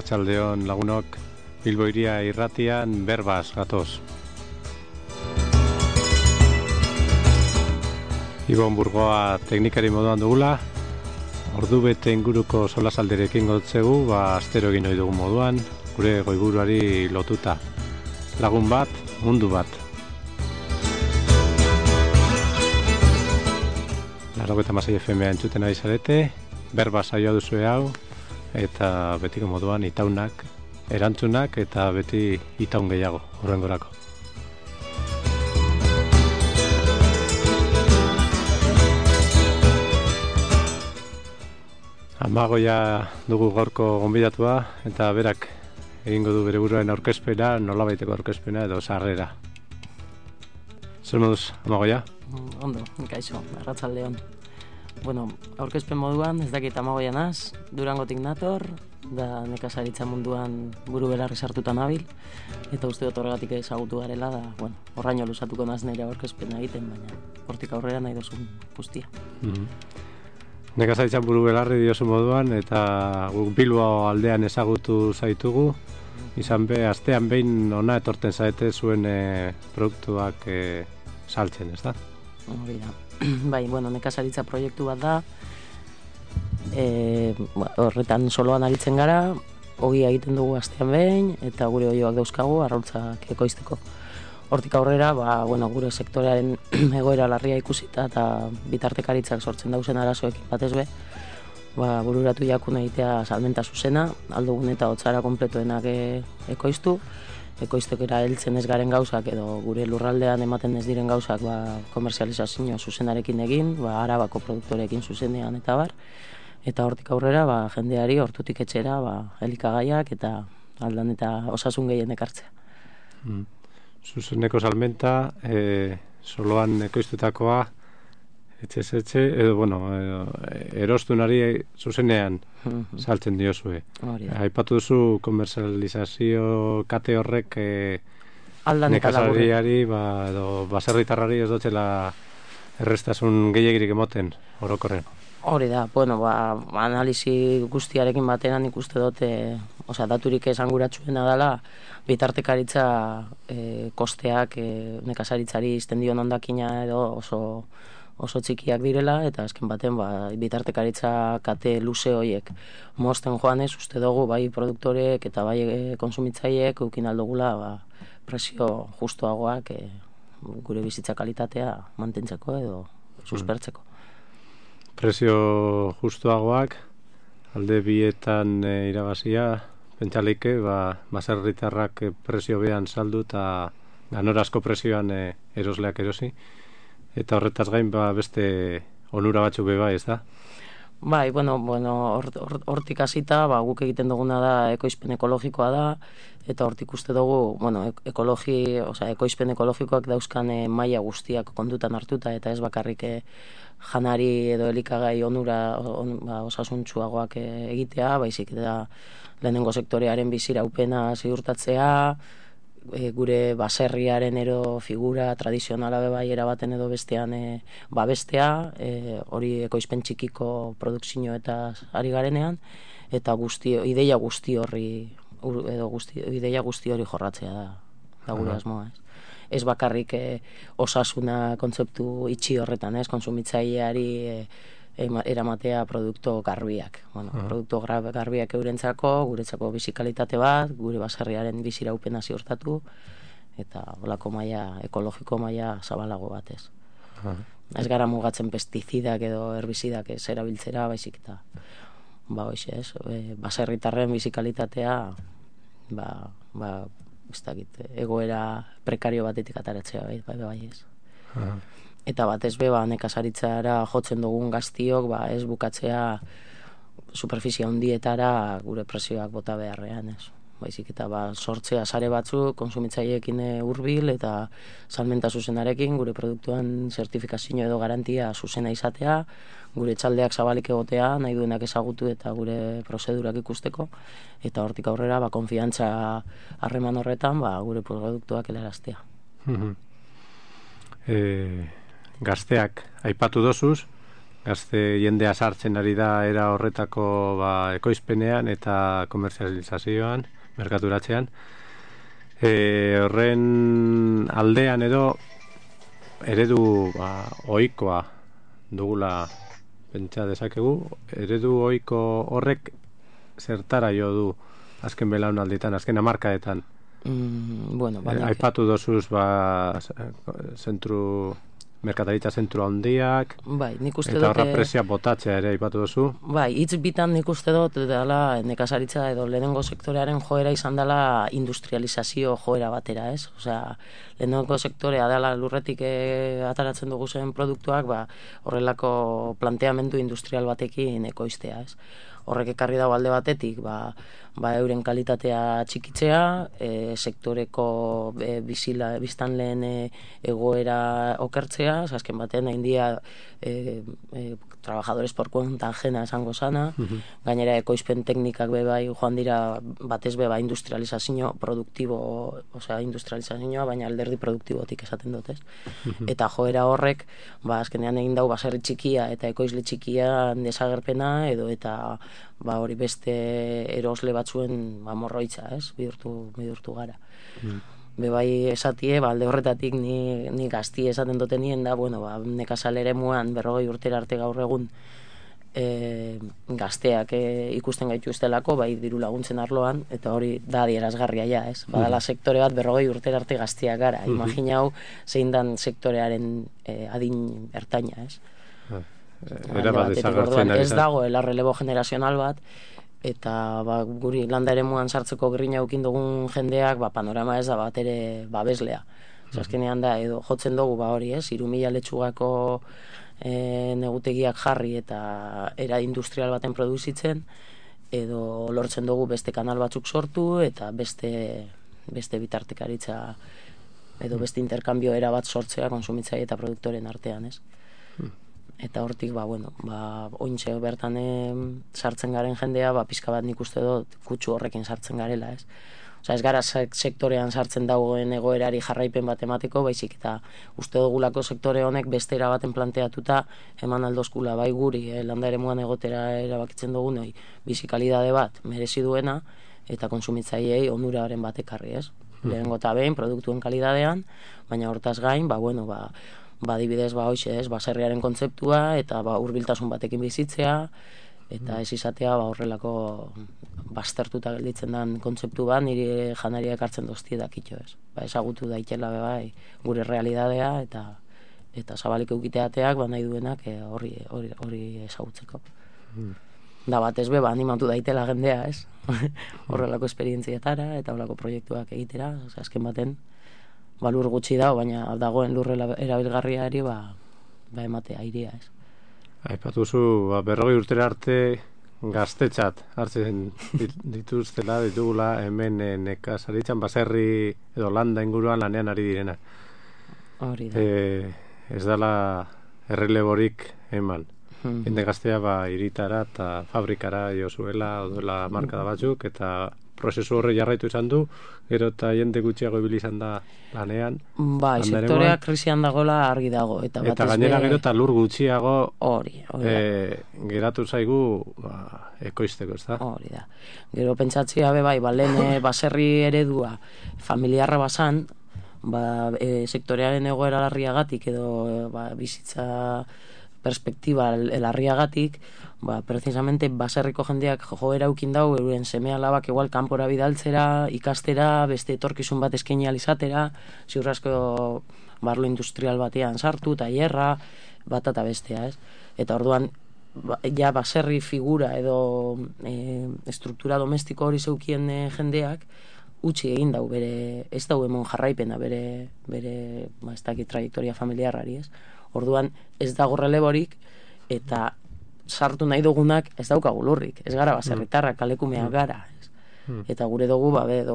Arratsaldeon lagunok, Bilbo Hiria irratian berbaz gatoz. Ibon Burgoa teknikari moduan dugula, ordu bete inguruko solasalderekin gotzegu, astero egin ohi dugun moduan, gure goiburuari lotuta. Lagun bat, mundu bat. 96 FM entzuten ari zarete, berba saioa duzue hau, eta betiko moduan itaunak, erantzunak eta beti itaun gehiago, horrengorako. Amagoia dugu gaurko gonbidatua, eta berak egingo du bere buruaren aurkezpena, nolabaiteko aurkezpena edo sarrera. Zer moduz, Amagoia? Ondo, kaixo, arratsaldeon. Bueno, aurkezpen moduan, ez dakit Amagoia naz, Durangotik nator, da nekazaritza munduan buru belarri sartuta nabil, eta uste dut horregatik ezagutu garela, da, bueno, horraino luzatuko naz nire aurkezpena egiten, baina hortik aurrera nahi duzun guztia. Nekazaritzan buru belarri diozu moduan, eta guk Bilbo aldean ezagutu zaitugu, izan be, astean behin ona etorten zaete zuen produktuak saltzen, ez da? Hori da. Bai, bueno, nekazaritza proiektu bat da, horretan soloan aritzen gara, ogia egiten dugu astean behin, eta gure oioak dauzkagu, arrautzak ekoizteko. Hortik aurrera, bueno, gure sektorearen egoera larria ikusita eta bitartekaritzak sortzen dauzen arazoekin batez be, bururatu jakun egitea salmenta zuzena, aldugun eta hotzara konpletoenak ekoiztu, ekoiztekera heltzen ez garen gauzak edo gure lurraldean ematen ez diren gauzak komerzializazio zuzenarekin egin, Arabako produktorekin zuzenean eta bar, eta hortik aurrera jendeari hortutik etxera elikagaiak eta aldan eta osasun gehien ekartzea. Zuzeneko salmenta, soloan ekoiztutakoa, etxe, edo, bueno, erostunari zuzenean saltzen diozue. Aipatu duzu komerzializazio kate horrek nekazariari, edo baserritarrari ez dutela errestasun gehiagirik emoten, orokorren. Hori da, bueno, analisi guztiarekin batean ikuste dute, daturik esanguratsuena dela, bitartekaritza kosteak nekazaritzari izten dion ondakina edo oso txikiak direla, eta azken baten bitartekaritza kate luze horiek mozten joanez, uste dugu bai produktorek eta bai konsumitzaileek eukin aldugula presio justuagoak gure bizitza kalitatea mantentzeko edo suspertzeko. Presio justuagoak, alde bietan irabazia, pentsaleike, baserritarrak presio behan saldu eta ganorazko presioan erosleak erosi. Eta horretaz gain beste onura batzuk beba, ez da? Bai, bueno, hortik hasita, guk egiten duguna da ekoizpen ekologikoa da, eta hortik uste dugu, bueno, ekoizpen ekologikoak dauzkan maila guztiak kontutan hartuta, eta ez bakarrik janari edo elikagai onura osasuntsuagoak egitea, baizik eta lehenengo sektorearen biziraupena ziurtatzea, gure baserriaren ero figura tradizionala bai erabaten edo bestean babestea, hori ekoizpen txikiko produkzio eta ari garenean, eta ideia guzti hori jorratzea da gure asmoa. Ez bakarrik osasuna kontzeptu itxi horretan, konsumitzaileari eramatea produktu garbiak. Produktu garbiak eurentzako, guretzako bizikalitate bat, gure baserriaren biziraupena ziurtatu, eta holako maila, ekologiko maila zabalago batez. Ez gara mugatzen pestizidak edo herbizidak ez erabiltzera, baizik eta baserritarren bizikalitatea egoera prekario batetik ataratzea bai ez. Eta batez be, nekazaritzara jotzen dugun gaztiok, ez bukatzea superfizia handietara gure presioak bota beharrean, ez. Baizik eta sortzea sare batzuk, konsumitzaileekin hurbil eta salmenta zuzenarekin, gure produktuan zertifikazio edo garantia zuzena izatea, gure txaldeak zabalik egotea, nahi duenak ezagutu eta gure prozedurak ikusteko, eta hortik aurrera, konfiantza harreman horretan, gure produktuak helaraztea. Gazteak aipatu dozuz, gazte jendea sartzen ari da era horretako ekoizpenean eta komerzializazioan, merkaturatzean. Horren aldean edo eredu ohikoa dugula pentsa dezakegu, eredu ohiko horrek zertara jo du azken belaunalditan, azken hamarkadetan. Aipatu dozuz merkataritza zentru handiak, eta horra presia botatzea ere aipatu dozu. Hitz bitan nik uste dut dela nekazaritza edo lehenengo sektorearen joera izan dela industrializazio joera batera, ez? Osea, lehenengo sektorea dela lurretik ataratzen dugu zen produktuak, horrelako planteamendu industrial batekin ekoiztea, ez? Horrek ekarri dago alde batetik, euren kalitatea txikitzea, sektoreko biztanleen egoera okertzea, azken batean hain dia trabajadores por cuenta ajena esango sana, gainera ekoizpen teknikak bebai joan dira batez beba industrializazio produktibo, osea industrializazioa, baina alderdi produktibotik esaten dut, ez? Eta joera horrek, azkenean egin dau baserri txikia eta ekoizle txikia desagerpena edo eta hori beste erosle batzuen morroitza, ez? Bihurtu gara. Bebai esatie, alde horretatik ni gazti esaten duten nien da, nekazal eremuan 40 urtera arte gaur egun gazteak ikusten gaituztelako, diru laguntzen arloan, eta hori da adierazgarria ja, ez? Badala sektore bat 40 urtera arte gazteak gara. Imaginau zein dan sektorearen adin ertaina, ez? Ez dagoela relebo generazional bat, eta guri landa eremuan sartzeko grina eukin dugun jendeak panorama ez da bat ere babeslea. Azkenean da, edo jotzen dugu hori, ez? 3.000 letxugako negutegiak jarri eta era industrial baten produzitzen, edo lortzen dugu beste kanal batzuk sortu eta beste bitartekaritza edo beste interkambio era bat sortzea konsumitzaile eta produktoren artean, ez? Eta hortik, ointxe bertan sartzen garen jendea, pizka bat nik uste dut kutsu horrekin sartzen garela, ez? Osa, ez gara sektorean sartzen dagoen egoerari jarraipen bat emateko, baizik eta uste dugulako sektore honek beste erabaten planteatuta eman aldozkula, guri, landa eremuan egotera erabakitzen dugun, bizikalidade bat merezi duena, eta konsumitzaileei onuraren bat ekarri, ez? Lehenengo eta behin, produktuen kalidadean, baina hortaz gain, adibidez, baserriaren kontzeptua eta hurbiltasun batekin bizitzea eta ez izatea horrelako baztertuta gelditzen den kontzeptu bat niri janariak hartzen doztietak ito, ez? Ezagutu daitela gure realidadea eta zabalik eukiteateak nahi duenak hori ezagutzeko. Da batez animatu daitela jendea, ez? Horrelako esperientziatara eta horrelako proiektuak egitera, azken baten lur gutxi dago, baina dagoen lurre erabilgarriari ematea airea, ez. Aipatuzu, 40 urtera arte gaztetzat hartzen ditugula hemen nekazaritzan baserri edo landa inguruan lanean ari direna. Hori da. Ez dela erreleborik eman. Hende gaztea iritara eta fabrikara jo zuela, oduela markada batzuk, eta prozesu horre jarraitu izan du, gero eta jende gutxiago ibili izan da lanean. Sektorea krisian dagoela argi dago. Eta gainera gero eta lur gutxiago geratu zaigu ekoizteko, ez da? Hori da. Gero pentsatzea lehen baserri eredua familiarra basan, sektorearen egoera larriagatik edo bizitza perspektiba larriagatik, precisamente baserriko jendeak joera eukin dau, euren seme alabak igual kanpora bidaltzera, ikastera, beste etorkizun bat eskaini alizatera, ziurrasko barlo industrial batean sartu, tailerra, bat eta bestea, ez? Eta orduan, baserri figura edo estruktura domestiko hori zeukien jendeak, utzi egin dau, ez dau emon jarraipena, bere ez dakit trajektoria familiarrari, ez? Orduan ez dago releborik eta sartu nahi dugunak ez daukagu lurrik. Ez gara baserritarrak, kalekumeak gara. Eta gure dugu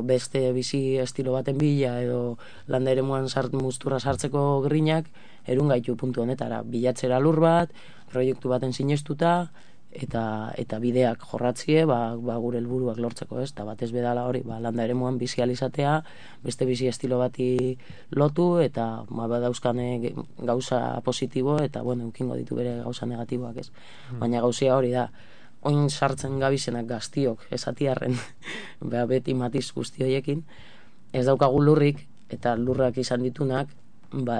beste bizi estilo baten bila edo landa eremuan mustura sartzeko grinak erun gaitu puntu honetara. Bilatzera lur bat, proiektu baten sinestuta eta bideak jorratzie, gure helburuak lortzeko, ez? Eta batez bedala hori, landa eremuan bizi alizatea, beste bizi estilo bati lotu, eta badauzkane gauza positibo, eta, eukingo ditu bere gauza negatiboak, ez? Baina gauzia hori da, oin sartzen gabizenak gaztiok, esatiarren, beti matiz guzti horiekin, ez daukagu lurrik, eta lurrak izan ditunak,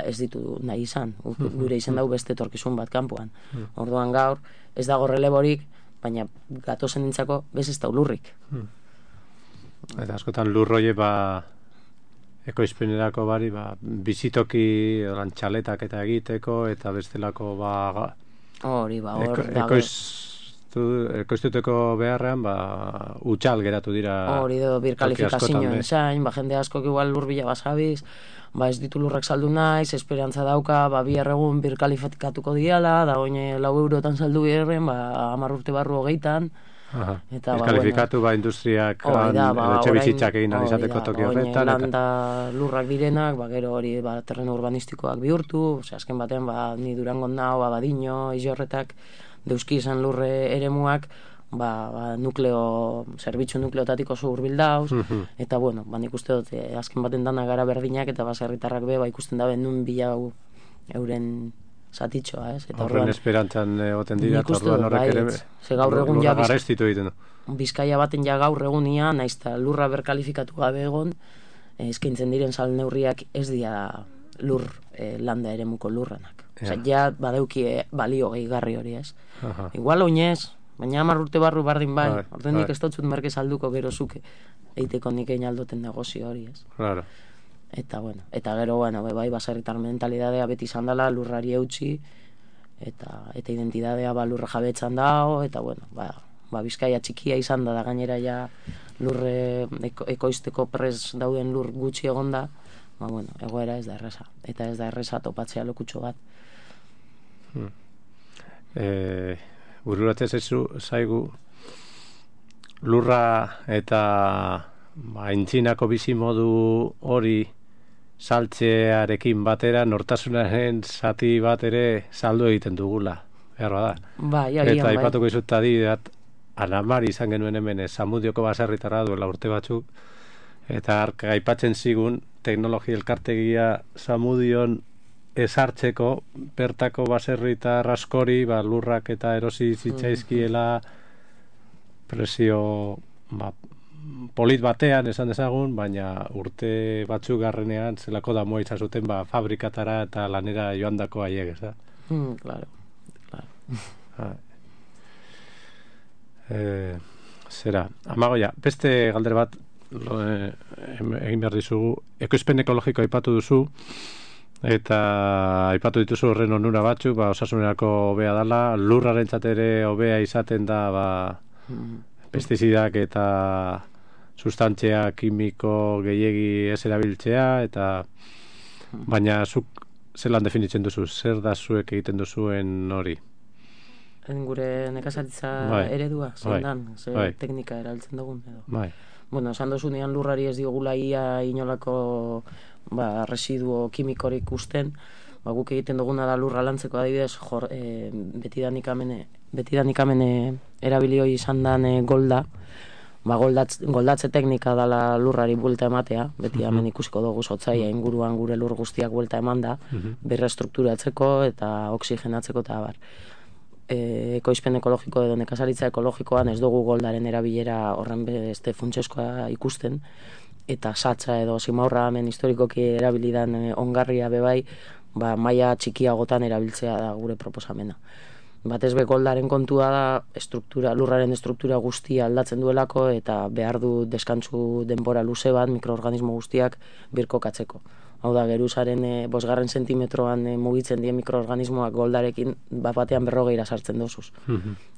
ez ditu nahi izan. Gure izan dau beste etorkizun bat kanpoan. Orduan gaur, ez dago releborik, baina gatozen nintzako bez ez dau lurrik. Eta askotan lurroie ekoizpenerako bari, bizitoki txaletak eta egiteko, eta bestelako hori, hor dago. Ekoiztuteko beharrean, utxal geratu dira. Hori edo birkalifikazioen zain, jende askok igual lur bila basabiz, ez ditu lurrak saldu naiz, esperantza dauka, bi erregun birkalifikatuko diala, da oin €4 saldu birren, 10 urte barru 20. Birkalifikatu industriak etxe bizitzak egin alizateko toki horretan. Landa lurrak direnak, gero hori terreno urbanistikoak bihurtu, azken batean ni Durangon nao, Badino, Izorretak, deuski izan lurre eremuak, zerbitzu nukleotatik oso hurbil dauz, eta nik uste dut, azken baten dana gara berdinak, eta baserritarrak ikusten dabe nun bilau euren zatitxoa, ez? Horren esperantzan oten dira, eta orduan horrek ere lurra garestitu egiten du. Bizkaia baten gaur egunia, naizta lurra berkalifikatu gabe egon, eskaintzen diren sal neurriak ez dira lur landa eremuko lurranak. Ja badeuki balio gehigarri hori, ez? Igual oinez, baina 10 urte barru bardin orten nik ez dotzut merke salduko gero zuke eiteko nik egin aldoten negozio hori, ez? Claro. Eta gero, baserritar mentalidadea beti izan dela, lurrari eutxi, eta identidadea lurra jabetzan dago, eta Bizkaia txikia izan da gainera ja lurre ekoizteko prez dauden lur gutxi egonda, egoera ez da erresa. Eta ez da erresa topatzea lokutxo bat. Bururatzen zaigu lurra eta aintzinako bizimodu hori saltzearekin batera nortasunaren zati bat ere saldu egiten dugula, behar bada. Eta aipatuko izut adidat, Anamari izan genuen hemen Zamudioko baserritarra duela urte batzuk, eta aipatzen zigun teknologia elkartegia Zamudion ezartzeko bertako baserritar askori lurrak eta erosi zitzaizkiela presio polit batean esan dezagun, baina urte batzuk garrenean zelako damoa izan zuten fabrikatara eta lanera joandako haiek, ez da? Claro. Zera, Amagoia, beste galdera bat egin behar dizugu, ekoizpen ekologiko aipatu duzu, eta aipatu dituzu horren onura batzuk, osasunerako hobea dela, lurrarentzat ere hobea izaten da pestizidak eta sustantzia kimiko gehiegi ez erabiltzea, eta baina zuk zelan definitzen duzu, zer da zuek egiten duzuen hori? Gure nekazaritza eredua, zendan, teknika erabiltzen dugun edo. Esan dozunean lurrari ez diogula ia inolako residuo kimikorik usten, guk egiten duguna da lurra lantzeko adibidez, betidanik hemen erabilioi izan dan golda, goldatze teknika dala lurrari buelta ematea, beti hemen ikusiko dugu zotzaia inguruan gure lur guztiak buelta eman da, berrestrukturatzeko eta oxigenatzeko eta abar. Ekoizpen ekologiko edo nekazaritza ekologikoan ez dugu goldaren erabilera horren beste funtseskoa ikusten, eta satza edo simaurra hemen historikoki erabilidan ongarria bebai, maila txikiagotan erabiltzea da gure proposamena. Batez be goldaren kontua da lurraren estruktura guztia aldatzen duelako eta behar du deskantzu denbora luze bat mikroorganismo guztiak birkokatzeko. Hau da, geruzaren 5 zentimetroan mugitzen dien mikroorganismoak goldarekin batean 40 sartzen dozuz.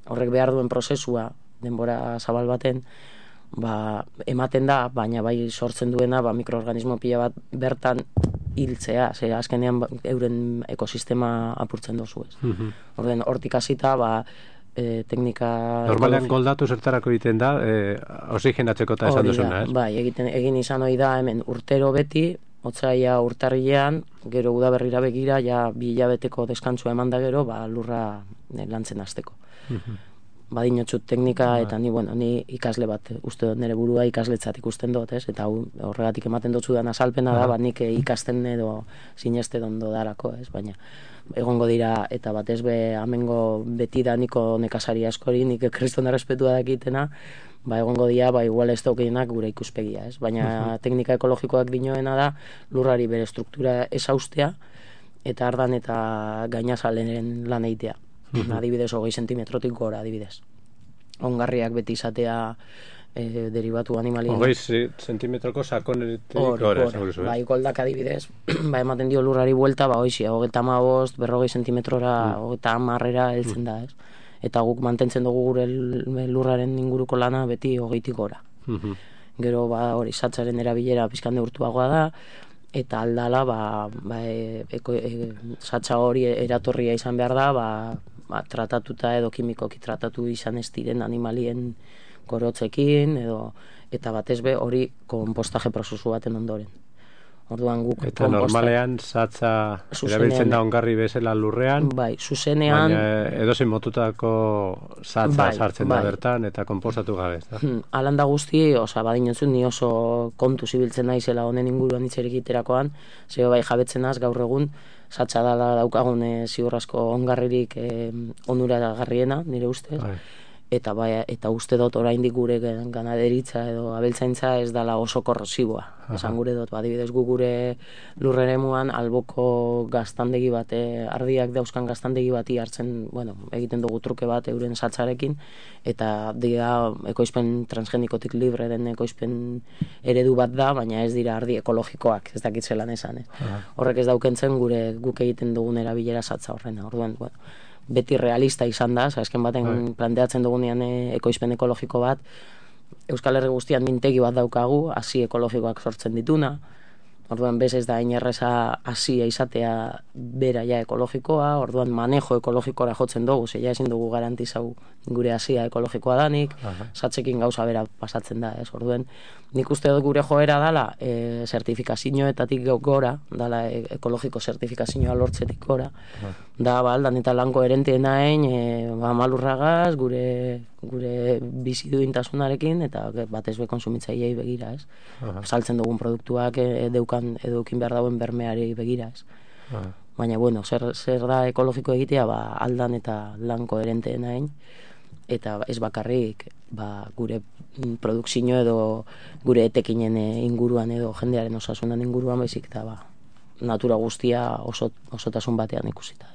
Horrek behar duen prozesua denbora zabal baten, ematen da, baina bai sortzen duena mikroorganismo pila bat bertan hiltzea, azkenean euren ekosistema apurtzen dozu ez. Hortik hasita, teknika... Normalean goldatu zertarako egiten da, oxigenatzeko eta esan duzuna, ez? Bai, egin izan hori da hemen urtero beti, otsaia urtarrilean, gero udaberrira begira, 2 hilabeteko deskantzua eman da gero, lurra lantzen hasteko. badinotxut teknika, eta ni ikasle bat, uste dut nire burua ikasletzat ikusten dut, ez? Eta horregatik ematen dut zudan azalpena da, nik ikasten edo sineste ondo darako, ez? Baina egongo dira, eta batez be amengo beti da niko nekazari askori, nik kriston errespetua dakitena, egongo dira, igual ez daukienak gure ikuspegia, ez? Baina teknika ekologikoak dinoena da, lurrari bere struktura esaustea, eta ardan eta gainazalenen lan eitea. Adibidez, 20 sentimetrotik gora, adibidez. Ongarriak beti izatea derivatu animalien. 20 sentimetroko sakonetik gora. Goldak adibidez, ematen dio lurrari buelta, 35, 40 sentimetrora, 30 heltzen da, ez? Eta guk mantentzen dugu gure lurraren inguruko lana beti 20tik gora. Gero, hori, satzaren erabilera pizkan neurtuagoa da, eta aldala, satza hori eratorria izan behar da, tratatuta edo kimikoki tratatu izan ez diren animalien gorotzekin, eta batez be hori konpostaje prozesu baten ondoren. Orduan guk eta normalean satza erabiltzen da ongarri bezala lurrean, zuzenean, baina edozein motutako satza sartzen da bertan eta konpostatu gabe, ez da? Alanda guzti, badinotzun ni oso kontu zibiltzen naizela honen inguruan hitzerik iterakoan, zeo jabetzen az gaur egun satza dala daukagun ziurrasko ongarririk onuragarriena, nire ustez. Eta uste dut oraindik gure ganaderitza edo abeltzaintza ez dala oso korrosiboa. Esan gure dut, adibidez gu gure lurreremuan alboko gaztandegi bat, ardiak dauzkan gaztandegi bati hartzen, egiten dugu truke bat euren satzarekin, eta dira ekoizpen transgenikotik libre den ekoizpen eredu bat da, baina ez dira ardi ekologikoak, ez dakit zelan esan. Horrek ez daukentzen guk egiten dugun erabilera satza horrena. Orduan, beti realista izan da, azken baten planteatzen dugunean ekoizpen ekologiko bat, Euskal Herri guztian mintegi bat daukagu, hasi ekologikoak sortzen dituna, orduan bez ez da inerreza hasia izatea bera ja ekologikoa, orduan manejo ekologikora jotzen dugu, zeia ezin dugu garantizau gure hasia ekologikoa danik, satzekin gauza bera pasatzen da, ez? Orduan, nik uste dut gure joera dala, zertifikazioetatik gora, dala ekologiko zertifikazioa lortzetik gora, da, aldan eta lanko erenteena malurragaz, gure biziduintasunarekin, eta batez be konsumitzaileei begira, ez? Saltzen dugun produktuak edukin behar dauen bermeari begira, ez? Baina, zer da ekologiko egitea, aldan eta lanko erenteena eta ez bakarrik gure produkzio edo gure etekinen inguruan edo jendearen osasunan inguruan baizik eta natura guztia osotasun batean ikusita.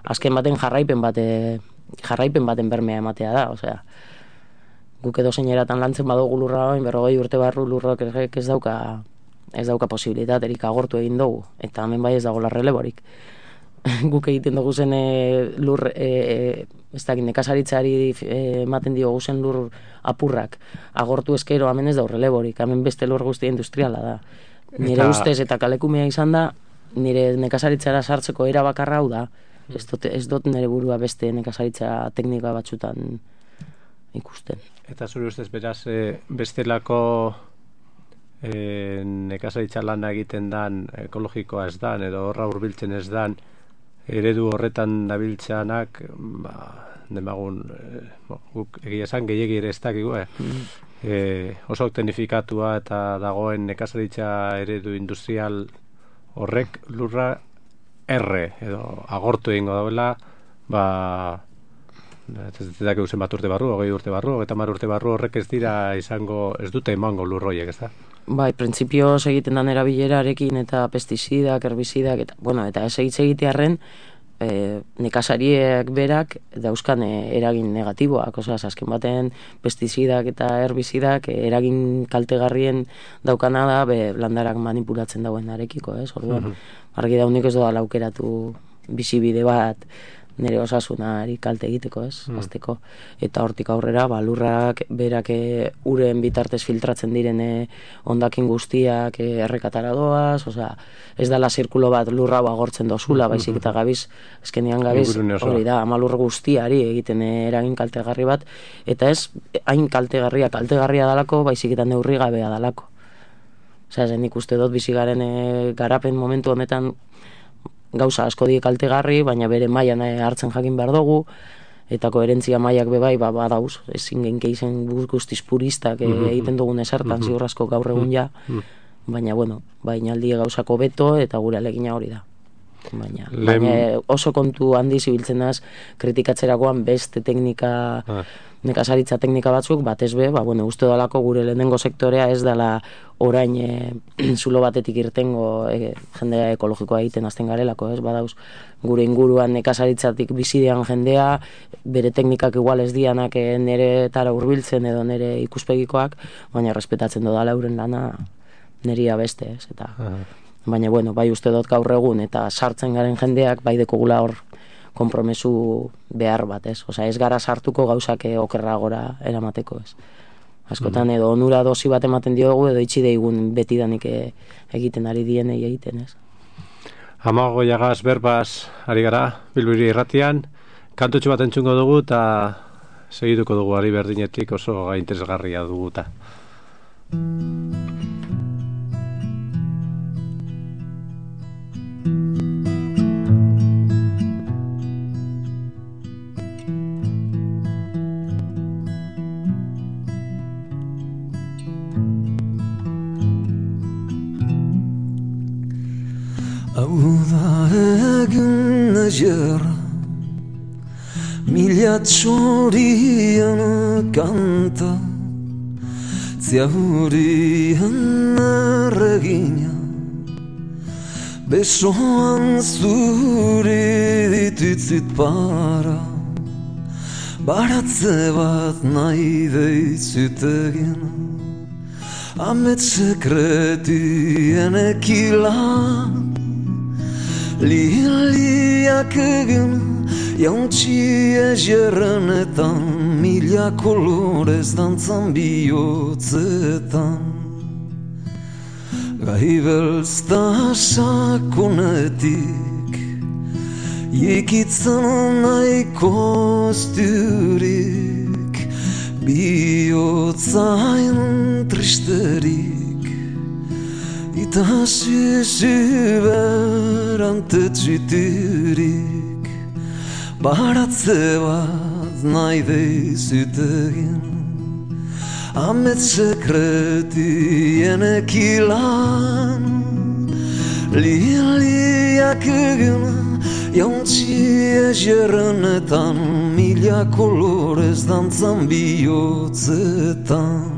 Azken baten jarraipen baten bermea ematea da, osea, guk edo zeineratan lantzen badugu lurra 40 urte barru lurrok ez dauka posibilitaterik agortu egin dugu, eta hemen bai ez dago larreleborik. Guk egiten dugu zen nekazaritzari ematen diogu zen lur apurrak agortu eskero hemen ez da urreleborik, hemen beste lur guztia industriala da. Nire ustez eta kalekumea izan da, nire nekazaritzara sartzeko era bakarra hau da, ez dut nire burua beste nekazaritza teknika batzutan ikusten. Eta zure ustez beraz bestelako nekazaritza lana egiten dan ekologikoa ez dan, edo horra hurbiltzen ez dan, eredu horretan nabiltzanak, demagun, guk egia esan gehiegi ere ez dakigu, oso teknifikatua eta dagoen nekazaritza eredu industrial horrek lurra edo agortu egingo dauela, ez dakigu zenbat urte barru, 20 urte barru, 30 urte barru horrek ez dute emango lurroiek, ez da? Bai, printzipioz egiten dan erabilerarekin eta pestizidak, herbizidak, eta ez egitearren nekazariek berak dauzkan eragin negatiboak, azken baten pestizidak eta herbizidak eragin kaltegarrien daukana da landarak manipulatzen dauen arekiko, ez? Orduan, argi daunik ez doa laukeratu bizibide bat nire osasunari kalte egiteko, ez? Azteko. Eta hortik aurrera, lurrak berak uren bitartez filtratzen diren hondakin guztiak errekatara doaz, ez dala zirkulo bat lurra agortzen dozula, baizik eta gabiz, eskenean gabiz, hori da, amalur guztiari egiten eragin kaltegarri bat, eta ez hain kaltegarria dalako, baizik eta neurri gabea dalako. Nik uste dut bizigaren garapen momentu honetan gauza asko die kaltegarri, baina bere mailan hartzen jakin behar dugu, eta koherentzia mailak bebai, badauz, ezin genke izen guztiz puristak egiten dugun esertan, ziur asko gaur egun ja, baina, bueno, bainaldi gauzako beto eta gure alegina hori da. Baina oso kontu handi zibiltzen az, kritikatzerakoan beste teknika, nekazaritza teknika batzuk, batez be, bueno, uste dalako gure lehenengo sektorea ez dela orain zulo batetik irtengo jendea ekologikoa egiten azten garelako, ez, badauz, gure inguruan nekazaritzatik bizidean jendea, bere teknikak igual ez dianak nere tara hurbiltzen edo nere ikuspegikoak, baina respetatzen dodala euren lana neria beste, ez, eta baina, bueno, bai uste dut gaur egun eta sartzen garen jendeak bai dekogula hor konpromesu behar bat, ez? Osa, ez gara sartuko gauzak okerragora eramateko, ez? Askotan edo onura dosi bat ematen diogu edo itxi deigun betidanik egiten ari dienei egiten, ez? Amago jagaz berbaz ari gara, Bilbiri irratian, kantutxo bat entzungo dugu eta segituko dugu ari berdinetik oso interesgarria dugu eta. Hau da egin egerra, mila txorien kanta, ziaurien erregina, besoan zuri ditutzit para, baratze bat nahi deitzut egin, amets sekretien ekilan, liliak egin, jauntxi egerrenetan, mila kolorez dantzan bihotzetan. Gai belzta sakonetik, ikitzen nahiko zturik, bihotzain tristerik, eta suberantetxiturik, baratze bat nahi deizut egin, amets sekretien ekilan, liliak egin, jauntxi egerrenetan, mila kolorez dantzan bihotzetan.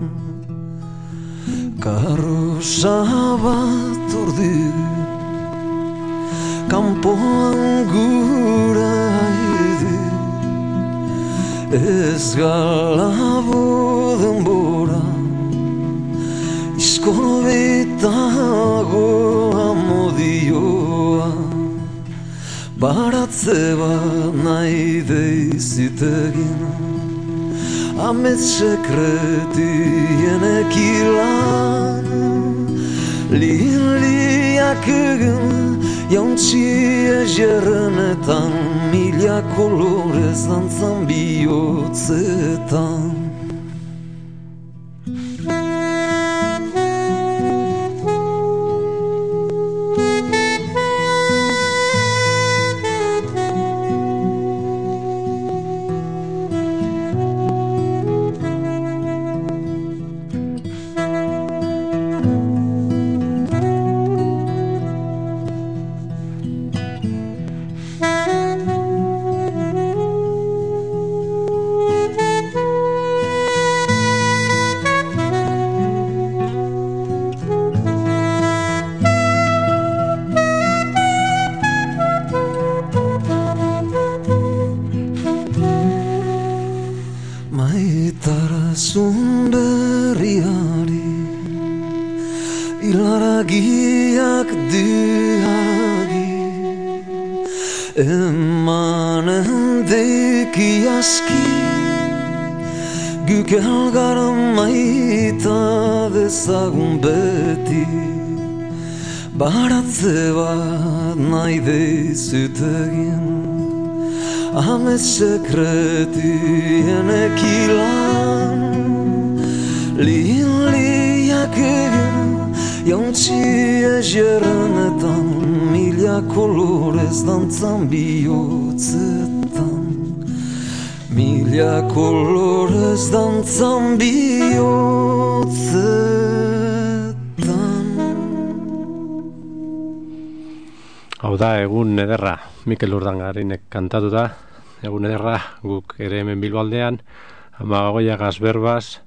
Karrosa bat ordu, kanpoan gura idu, ez galabo denbora, iskorbitago amodioa, baratze bat nahi deizut egin, amets sekretien ekilan, liliak egin, jauntxi egerrenetan, mila kolorez dantzan bihotzetan. Maitarazun berriari, hilaragiak diagi, emanen deki aski, guk elgara maita dezagun beti, baratze bat nahi deizut egin, amets sekretien ekilan, liliak egin, jauntxi egerrenetan, mila kolorez dantzan bihotzetan, mila kolorez dantzan bihotzetan. Hau da, egun ederra, Mikel Urdangarinek kantatu da, egun ederra, guk ere hemen Bilbaldean, Amagoia Gazberbaz,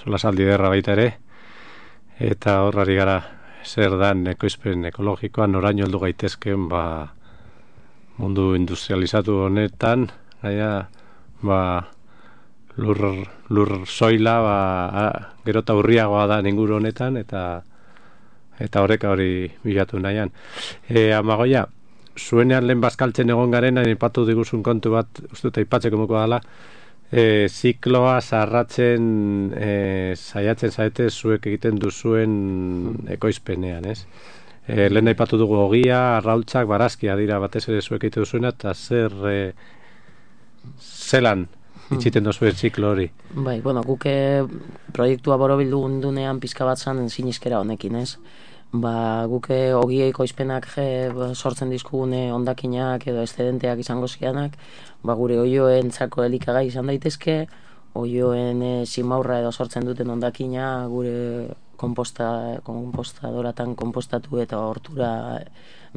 solasaldi ederra baita ere, eta horrari gara zer dan ekoizpen ekologikoan noraino heldu gaitezken mundu industrializatu honetan, gaia lur soila gero eta urriagoa da inguru honetan, eta horreka hori bilatu nahian. Amagoia, zuenean lehen bazkaltzen egon garen, aipatu diguzun kontu bat, uste dut aipatzeko muko dela, zikloa zarratzen saiatzen zaete zuek egiten duzuen ekoizpenean, ez? Lehen aipatu dugu ogia, arraultzak, barazkia dira batez ere zuek egiten duzuena, eta zelan itxiten duzuen ziklo hori? Bai, bueno, guk proiektua borobildu gundunean pizka bat zan sinizkera honekin, ez? Guk ogia ekoizpenak sortzen dizkugune hondakinak edo eszedenteak izango zianak, gure oioentzako elikagai izan daitezke, oioen simaurra edo sortzen duten hondakina gure konpostadoratan konpostatu eta hortura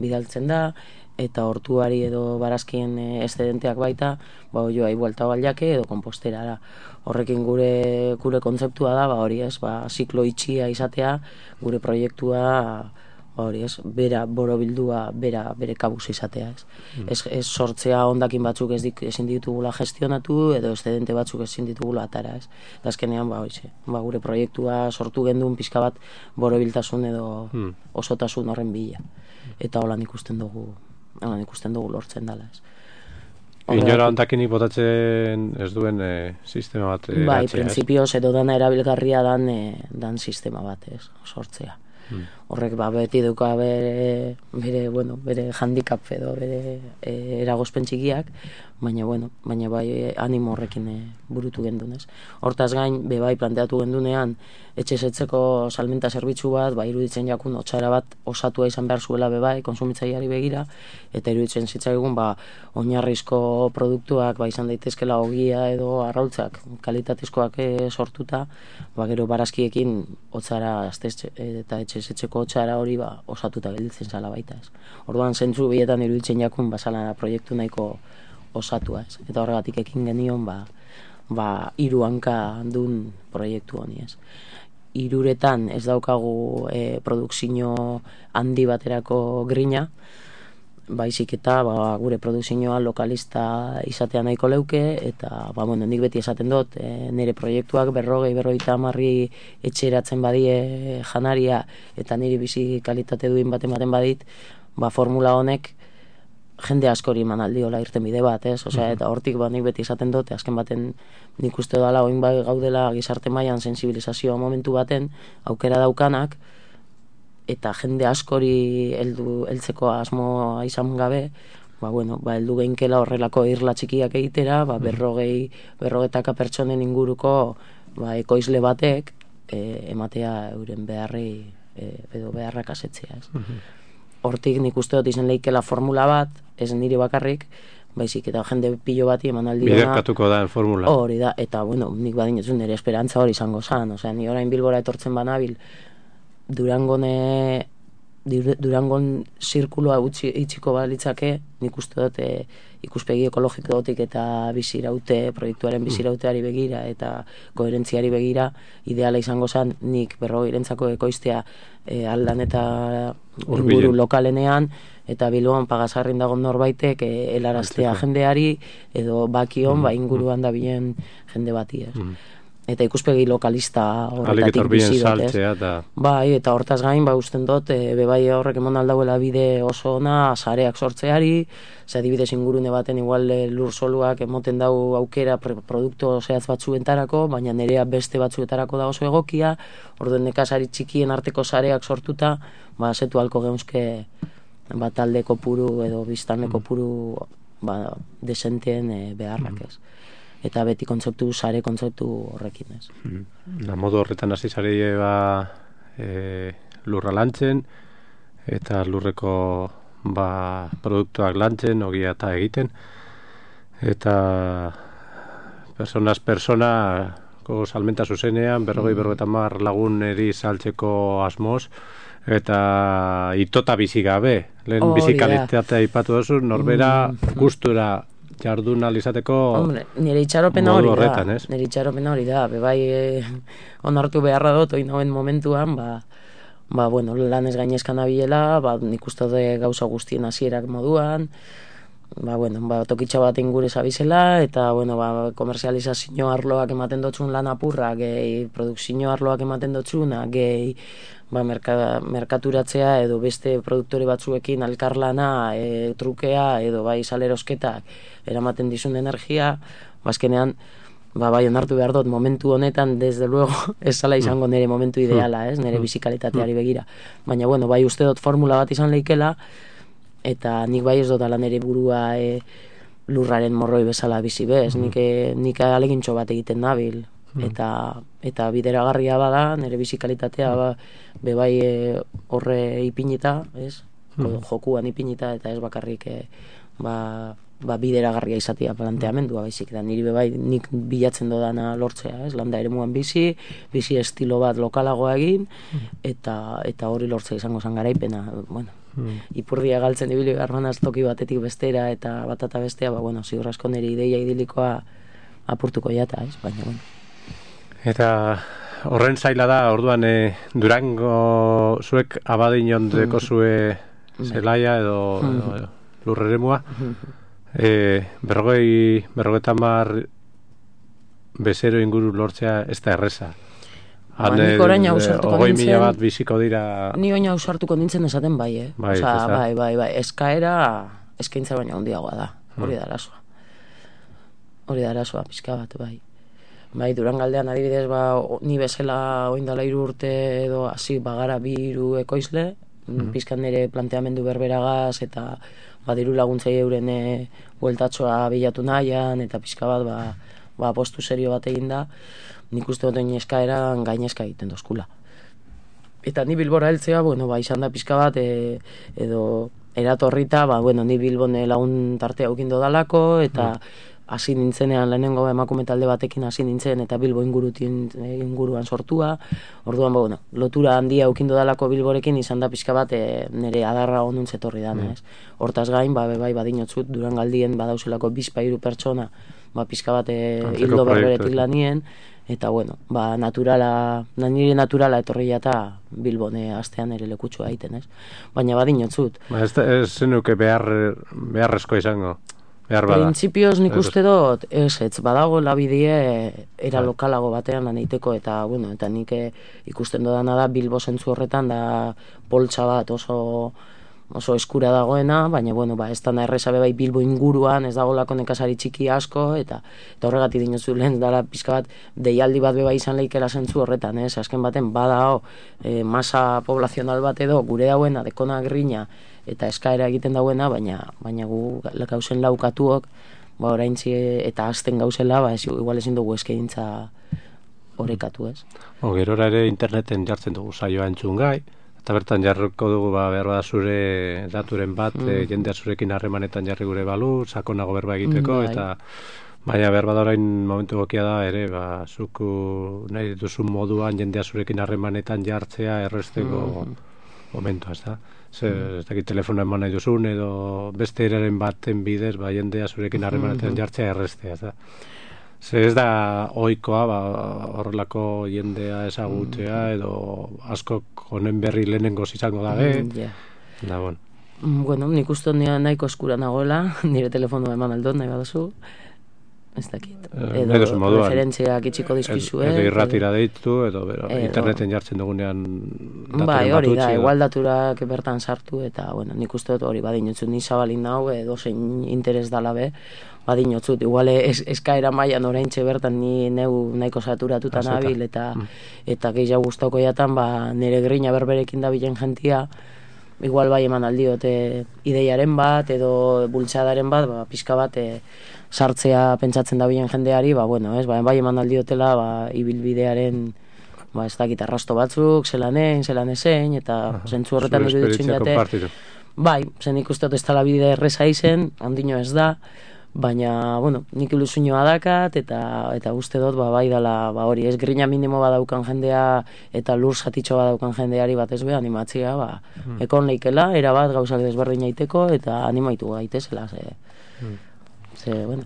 bidaltzen da, eta hortuari edo barazkien eszedenteak baita, oioai buelta baliake edo komposterara. Horrekin gure kontzeptua da, hori ez, ziklo itxia izatea, gure proiektua, hori ez, bera borobildua, bere kabuz izatea, ez. Ez sortzea hondakin batzuk ezin ditugula gestionatu, edo essedente batzuk ezin ditugula atara, ez. Eta azkenean, gure proiektua sortu gendun pizka bat borobiltasun edo osotasun horren bila. Eta holan ikusten dugu lortzen dela, ez. Inora hondakinik botatzen ez duen sistema bat bai, printzipioz edo dana erabilgarria dan sistema bat, ez, sortzea. Horrek beti duka bere handicap edo bere eragozpen txikiak, baina bai animo horrekin burutu gendunez. Hortaz gain, bai planteatu gendunean etxezetzeko salmenta zerbitzu bat, iruditzen jakun otsara bat osatua izan behar zuela bai konsumitzaileari begira, eta iruditzen zitzaigun oinarrizko produktuak izan daitezkela ogia edo arrautzak kalitatezkoak sortuta, gero barazkiekin otsara eta etxezetzeko otsara hori osatuta gelditzen zala baita, ez. Orduan zentzu bietan iruditzen jakun bazala proiektu nahiko osatua, ez. Eta horregatik ekin genion 3 hanka dun proiektu honi, ez. 3 ez daukagu produkzio handi baterako grina, baizik eta gure produkzioa lokalista izatea nahiko leuke, eta nik beti esaten dut, nire proiektuak 40-50 etxeratzen badie janaria, eta niri bizi kalitate duin ematen badit, formula honek jende askori eman aldiola irten bide bat, ez? Eta hortik nik beti esaten dut, azken baten nik uste dala oin gaudela gizarte mailan sensibilizazioa momentu baten aukera daukanak, eta jende askori heltzeko asmoa izan gabe, heldu geinkela horrelako irla txikiak egitera, 40 pertsonen inguruko ekoizle batek ematea euren beharrei edo beharrak asetzea, ez. Hortik nik uste dut izan leikela formula bat, ez niri bakarrik, baizik eta jende pilo bati eman aldiona. Biderkatuko da formula. Hori da, eta nik badinetzun nire esperantza hori izango zan, ni orain Bilbora etortzen banabil, Durangon zirkuloa itxiko balitzake, nik uste dut ikuspegi ekologiko dotik eta proiektuaren bizirauteari begira eta koherentziari begira, ideala izango zen nik 40 ekoiztea aldan eta inguru lokalenean, eta Bilboan Pagasarrin dago norbaitek helaraztea jendeari, edo bakion inguruan da bilen jende bati, ez. Eta ikuspegi lokalista horretatik bizi dut, ez? Bai, eta hortaz gain, usten dut, bebai horrek emon aldauela bide oso ona, sareak sortzeari, adibidez ingurune baten igual lur soluak emoten dau aukera produktu zehatz batzuentarako, baina nerea beste batzuetarako da oso egokia, orduen nekazari txikien arteko sareak sortuta, zetu halko geunzke talde kopuru edo biztanle kopuru desenteen beharrak, ez. Eta beti sare kontzeptu horrekin, ez. Modu horretan hasi zare lurra lantzen, eta lurreko produktuak lantzen, ogia eta egiten, eta personas persona, salmenta zuzenean, 50 laguneri saltzeko asmoz, eta itota bizi gabe. Lehen bizikalitatea aipatu duzu, norbera gustura jardun alizateko nire itxaropena hori da. Horretan, ez? Nire itxaropena hori da. Bebai onartu beharra dut, oin hauen momentuan, bueno, lan ez gainezkan abilela, nik uste de gauza guztien hasierak moduan, tokitxa bat ingure zabizela, eta, komerzializazio arloak ematen dotzun lan apurra, gehi produkzio arloak ematen dotzuna, gehi merkaturatzea edo beste produktore batzuekin alkarlana, trukea edo salerosketak eramaten dizun energia, bazkenean, onartu behar dut, momentu honetan, desde luego, ez zala izango nire momentu ideala, nire bizikalitateari begira. Baina, uste dut formula bat izan leikela, eta nik ez dut ala nire burua lurraren morroi bezala bizi bez, nik alegintxo bat egiten nabil, eta bideragarria bada, nire bizikalitatea horre ipinita, jokuan ipinita, eta ez bakarrik bideragarria izatea planteamendua baizik da niri nik bilatzen dodana lortzea, landa eremuan bizi estilo bat lokalagoa egin eta hori lortzea izango zen garaipena, ipurdia galtzen ibili garbanaz toki batetik bestera eta batata bestea, ziur asko niri ideia idilikoa apurtuko jata, baina Eta horren zaila da, orduan Durango zuek abadinon deko zue zelaia edo lurreremua, 50 bezero inguru lortzea ez da erreza. Nik orain ausartuko nintzen... 20.000 bat biziko dira... Ni orain ausartuko nintzen esaten bai, eskaintza baina handiagoa da, hori da arazoa. Hori da arazoa, pixka bat, Durangaldean adibidez, ni bezala oindala 3 urte edo hasi bagara 2 ekoizle, pizkan nire planteamendu berberagaz eta diru laguntzei euren bueltatxoa bilatu nahian eta pizka bat postu serio bat egin da, nik uste dut eskaeran gainezka egiten dozkula. Eta ni Bilbora heltzea, izan da pizka bat edo eratorrita, ni Bilbon lagun tartea eukindo dalako eta hasi nintzenean lehenengo emakume talde batekin hasi nintzen eta Bilbo inguruan sortua. Orduan, lotura handia eukindo dalako Bilborekin izan da pixka bat nire adarra ondun zetorri dana, ez? Hortaz gain, badinotzut Durangaldien badauzelako 2-3 pertsona pixka bat hildo berberetik lanien, eta nire naturala etorri jata Bilbone astean ere lekutxua egiten, ez? Baina badinotzut. Ez zenuke beharrezko izango? Printzipioz nik uste dut, ez badago labidie era lokalago batean lan egiteko eta nik ikusten dodana da Bilbo zentzu horretan da poltsa bat oso eskura dagoena, baina ez da erreza Bilbo inguruan ez dago lako nekazari txiki asko eta horregatik dinozu lehen dara pizka bat deialdi bat izan leikela zentzu horretan, azken baten badao masa poblazional bat edo gure dauena dekona grina eta eskaera egiten dauena, baina gu gauzen laukatuok, oraintzi eta azten gauzela, igual ezin dugu eskaintza orekatu, ez? Gerora ere interneten jartzen dugu saioa entzun gai, eta bertan jarriko dugu behar bada zure daturen bat, jendea zurekin harremanetan jarri gure balu, sakonago berba egiteko, eta baina behar bada orain momentu gokia da ere, zuku nahi duzun moduan jendea zurekin harremanetan jartzea erresteko momentua, ez da? Ez dakit telefonoa eman nahi duzun edo beste eraren baten bidez jendea zurekin harremanetan jartzea errestea, ez da? Ez da ohikoa horrelako jendea ezagutzea edo askok honen berri lehenengoz izango dabe. Nik uste nahiko eskura nagoela, nire telefonoa eman aldot nahi baduzu. Ez dakit. Edo referentziak itxiko dizkizue. Edo irratira deitu, edo interneten jartzen dugunean daturen bat hori da, igual daturak bertan sartu, eta nik uste dut hori badinotzut ni zabalin nau, edo zein interes dala be, badinotzut. Igual eskaera mailan oraintxe bertan ni neu nahiko saturatuta nabil, eta gehiago gustauko jatan, nire grina berberekin dabilen jentia, igual eman aldiote ideiaren bat, edo bultzadaren bat, pixka bat, sartzea pentsatzen dabilen jendeari, eman aldiotela ibilbidearen ez dakit arrasto batzuk, zelan ezein, eta zentzu horretan iruditzen jate. Zen ikusteot ez tala bide erreza izen, handino ez da, Baina, bueno, nik ilusioa dakat, eta uste dut, bai dala, hori, ez grina minimo badaukan jendea, eta lur satitxo badaukan jendeari batez be, animatzea, ekon leikela, erabat gauzak desberdin aiteko, eta animaitu gaitezela, bueno.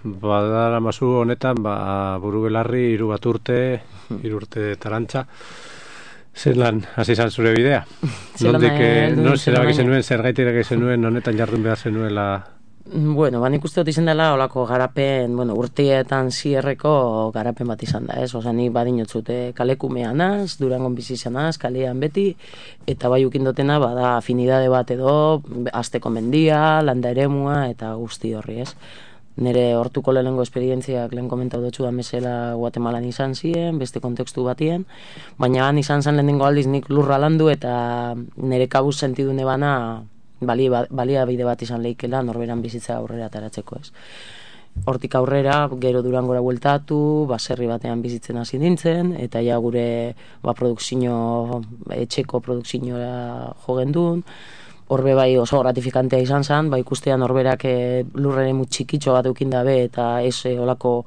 Badara mazu honetan, buru belarri, 3 urte, 3 urte tarantza, zelan hasi izan zure bidea? Non zerabaki zenuen, zergaitik erabaki zenuen, honetan jardun behar zenuela? Bueno, nik uste dut izan dela olako garapen, urteetan zierreko garapen bat izan da, ez? Osa, ni badinotzute kalekumean az, Durangon bizi izan az, kalean beti, eta bai ukindotena bada afinidade bat edo, azteko mendia, landa eremua, eta guzti horri, ez? Nire hortuko lehenengo esperientziak lehen komentau dutxu da mesela Guatemalan izan ziren, beste kontekstu batien, baina han izan zen lehenengo aldiz nik lurra landu eta nire kabuz sentidune bana balia bide bat izan leikela norberan bizitza aurrera ataratzeko, ez. Hortik aurrera, gero Durangora bueltatu, baserri batean bizitzen hasi nintzen, eta ja gure etxeko produkzioa jo gendun. Horbe bai oso gratifikantea izan zen, ikustea norberak lurreren txikitxo bat eukin dabe eta ez olako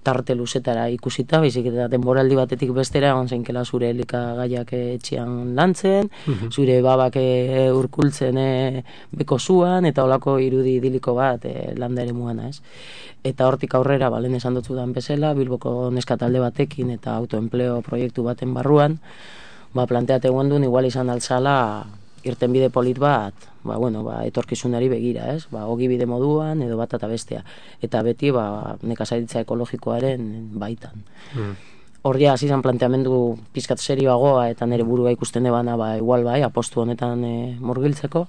tarte luzetara ikusita, baizik eta denboraldi batetik bestera egon zeinkela zure elikagaiak etxean lantzen, zure babak urkultzen beko zuan, eta olako irudi idiliko bat landa ere muana, ez. Eta hortik aurrera, lehen esan dutzudan bezala, Bilboko neskatalde batekin eta autoempleo proiektu baten barruan, planteate guendun igual izan altzala irtenbide polit bat, etorkizunari begira, ez? Ogibide moduan edo bat eta bestea. Eta beti, nekazaritza ekologikoaren baitan. Horria, hasi izan planteamendu pizkat serioagoa eta nire burua ikusten ebana, igual apostu honetan murgiltzeko.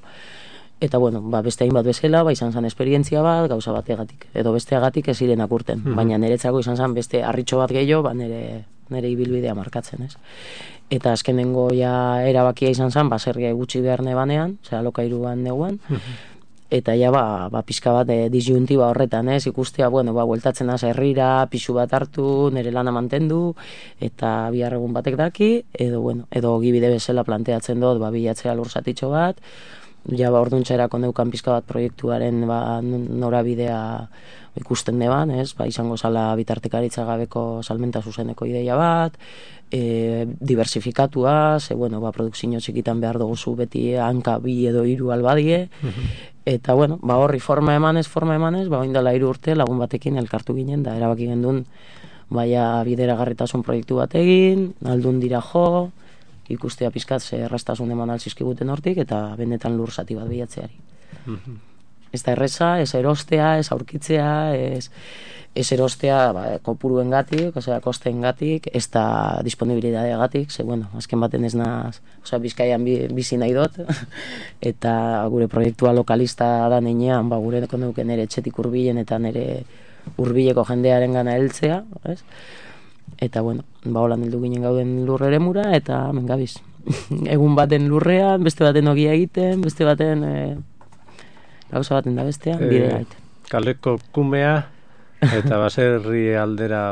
Eta, beste hainbat bezala, izan zen esperientzia bat, gauza bategatik. Edo besteagatik ez zirenak urten. Baina niretzako izan zen beste harritxo bat gehiago, nire ibilbidea markatzen, ez? Eta azkenengo erabakia izan zen, baserria gutxi behar nebanean, alokairuan neguan, eta pizka bat disjuntiba horretan, ez, ikustea, bueltatzen az herrira, pixu bat hartu, nire lana mantendu, eta bihar egun batek daki, edo gibide bezala planteatzen dut, bilatzea lursatitxo bat, orduntxerako neukan pizka bat proiektuaren norabidea ikusten neban, ez, izango zala bitartekaritza gabeko salmenta zuzeneko ideia bat, diversifikatua, produkzio txikitan behar dugu beti hanka 2 edo 3 albadie, eta horri forma emanez, oindala 3 urte lagun batekin elkartu ginen, da erabaki gendun bideragarritasun proiektu bat egin, aldun dira jo, ikustea pizkat ze erraztasun eman alzizkiguten hortik, eta benetan lur zati bat bilatzeari. Ez da erreza, ez erostea, ez aurkitzea, ez erostea kopuruen gatik, kosteen gatik, ez da disponibilidadea gatik, ze, azken baten ez naz, Bizkaian bizi nahi dut, eta gure proiektua lokalista da neinean, gure konduken nire etxetik urbilen eta nire urbileko jendearen gana heltzea, ez? Eta, holan heldu ginen gauden lurre eremura, eta mengabiz. Egun baten lurrean, beste baten ogia egiten, beste baten gauza baten da bestean, bidea egiten. Kaleko kumea, eta baserri aldera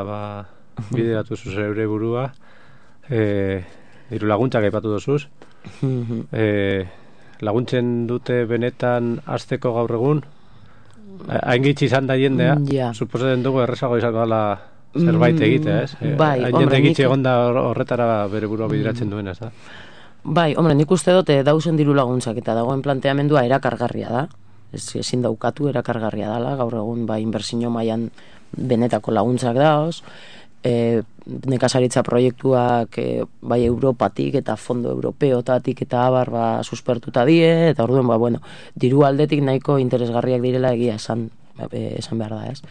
bideratu zuz eure burua, diru laguntzak aipatu dozuz. Laguntzen dute benetan azteko gaur egun? Hain gitzi izan da jendea, suposatzen dugu errezago izango dela zerbait egitea, ez? Hain jende gitzi egon da horretara bere burua bideratzen duena, ez da? Bai, nik uste dut dauzen diru laguntzak eta dagoen planteamendua erakargarria da. Ezin daukatu erakargarria dela, gaur egun inbertsio mailan benetako laguntzak daoz, nekazaritza proiektuak Europatik eta fondo europeotatik eta abar suspertuta die, eta orduan, diru aldetik nahiko interesgarriak direla egia esan behar da, ez?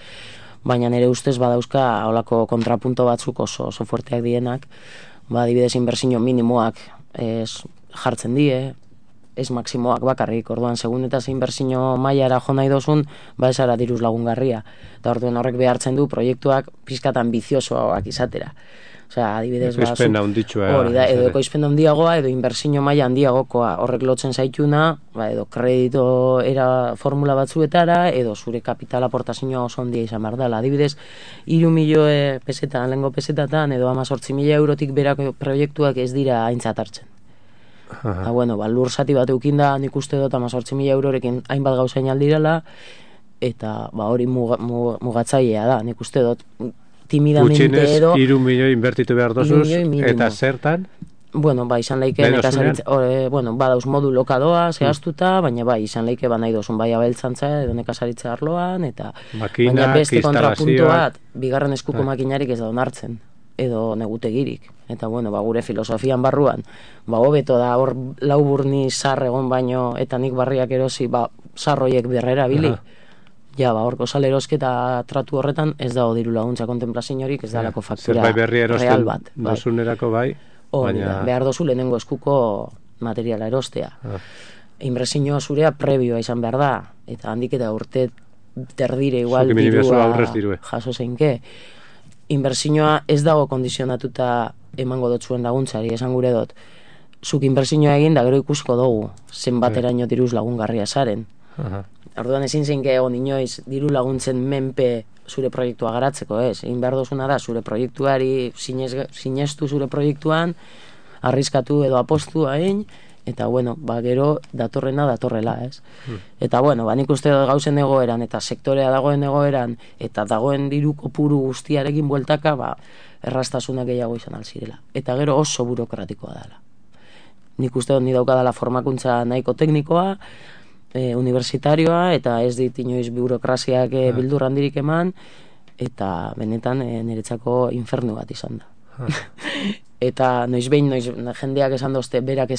Baina nire ustez badauzka olako kontrapunto batzuk oso fuerteak dienak, adibidez inbertsio minimoak jartzen die, ez maksimoak bakarrik, orduan segun eta inbertsio mailara jo nahi dozun, esara diruz lagungarria. Eta orduan horrek behartzen du proiektuak pizkat ambiziosoak izatera. Adibidez, edo ekoizpen handiagoa, edo inbertsio maila handiagokoa, horrek lotzen zaituna, edo kredito era formula batzuetara, edo zure kapital aportazioa oso handia izan behar dela. Adibidez, 3 milioi pesetan, lehengo pesetatan, edo 18.000 eurotik berako proiektuak ez dira aintzat hartzen. Lur zati bat eukin da, nik uste dut 18.000 eurorekin hainbat gauzain aldirela, eta hori mugatzailea da, nik uste dut timidamente edo... Gutxinez, 3 milioi inbertitu behar dozuz, eta zertan? Bueno, izan leike nekazaritza, badauz modu lokadoa, zehaztuta, baina izan leike nahi dozun bai abeltzantza edo nekazaritza arloan, eta baina beste kontrapuntu bat, bigarren eskuko makinarik ez da onartzen, edo negutegirik. Eta gure filosofian barruan, hobeto da hor lauburni zar egon baino, eta nik barriak erosi, zarroiek berrera bili. Ja, horko salerosketa tratu horretan ez dago diru laguntza kontemplaziorik, ez dalako faktura real bat. Dozunerako bai. Behar dozu lehenengo eskuko materiala erostea. Inbertsioa zurea prebioa izan behar da, eta handik eta urte terdire igual dirua jaso zeinke. Inbertsioa ez dago kondizionatuta emango dotzuen laguntzari, esan gure dut. Zuk inbertsioa egin da gero ikusko dugu, zenbateraino diruz lagungarria zaren. Orduan ezin zeinke egon inoiz diru laguntzen menpe zure proiektua garatzeko, ez? Egin behar dozuna da, zure proiektuari sinestu zure proiektuan, arriskatu edo apostu hain, eta gero datorrena datorrela, ez? Eta nik uste dut gauzen egoeran, eta sektorea dagoen egoeran, eta dagoen diru kopuru guztiarekin bueltaka, errastasunak gehiago izan alzirela. Eta gero oso burokratikoa dela. Nik uste dut ni daukadala formakuntza nahiko teknikoa, universitarioa, eta ez dit inoiz burokraziak bildur handirik eman, eta benetan niretzako infernu bat izan da. Eta noiz jendeak esan dozte berak